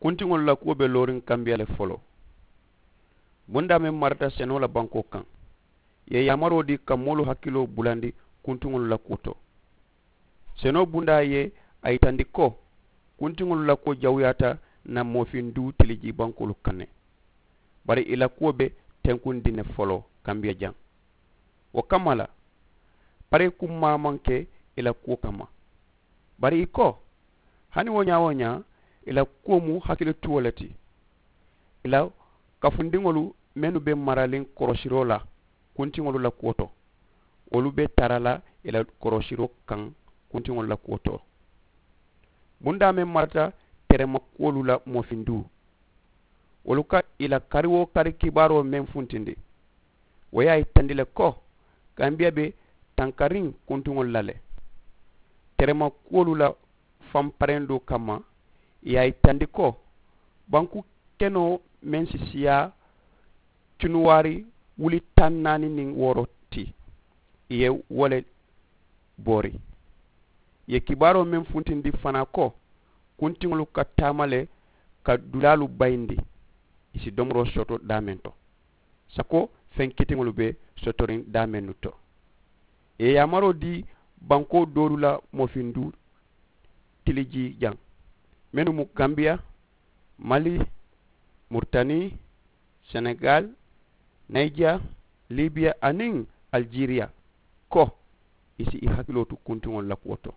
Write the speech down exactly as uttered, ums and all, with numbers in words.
Kuntiŋolu la kuwo be looriŋ kambiya le foloo. Bundaa meŋ marata senoo la bankoo kaŋ, ì ye yaamaroo dii ka moolu hakiloo bulandi kuntiŋolu la kuwo to. Senoo bundaa ye a yitandi ko kuntiŋolu la kuwo jawuyaata na moofinduu tilijii bankoolu kaŋ ne. Bari ì la kuwo be tenkundiŋ ne foloo kambiya jaŋ. Wo kamma la, paree kummaa maŋ ke ì la kuwo kamma. Bari ì ko, hani wo ñaa wo ñaa, ì la kuwo mu hakilituwo le ti. Ì la kafundiŋolu mennu be maraliŋ korosiroo la kuntiŋolu la kuwo to, wolu be tara la ì la korosiroo kaŋ kuntiŋolu la kuwo to. Bundaa meŋ marata terema kuwolu la moofinduu, wolu ka ì la kari wo kari kibaaroo meŋ funtindi, wo ye a yitandi le ko kambiya be tankariŋ kuntiŋolu la le. Terema kuwolu la fanparendoo kamma, ì ye a yitandi ko banku kenoo meŋ si siyaa cunuwaari wuli taŋ naani niŋ wooro ti, ì ye wo le boori. Ì ye kibaaroo meŋ funtindi fanaa ko kuntiŋolu ka taama le ka dulaalu bayindi, ì si domoroo soto daameŋ to, sako feŋ kitiŋolu be sotoriŋ daameŋ nu to. Ì ye yaamaroo dii bankoo doolu la moofinduu tilijii jaŋ, mennu mu gambiya, mali, muritani, senegaali, nayija, libiya aniŋ alijeriya, ko ì si ì hakiloo tu kuntiŋolu la kuwo to.